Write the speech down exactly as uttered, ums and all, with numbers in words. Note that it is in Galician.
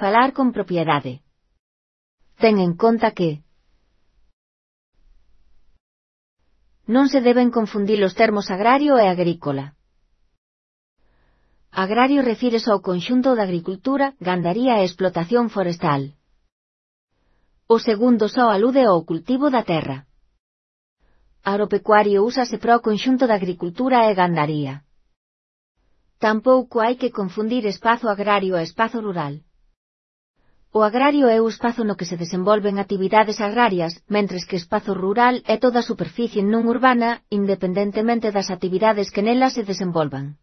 Falar con propiedade. Ten en conta que non se deben confundir os termos agrario e agrícola. Agrario refírese ao conxunto da agricultura, gandaría e explotación forestal. O segundo só alude ao cultivo da terra. Agropecuario úsase para o conxunto da agricultura e gandaría. Tampouco hai que confundir espazo agrario e espazo rural. O agrario é o espazo no que se desenvolven actividades agrarias, mentres que espazo rural é toda a superficie non urbana, independentemente das actividades que nela se desenvolvan.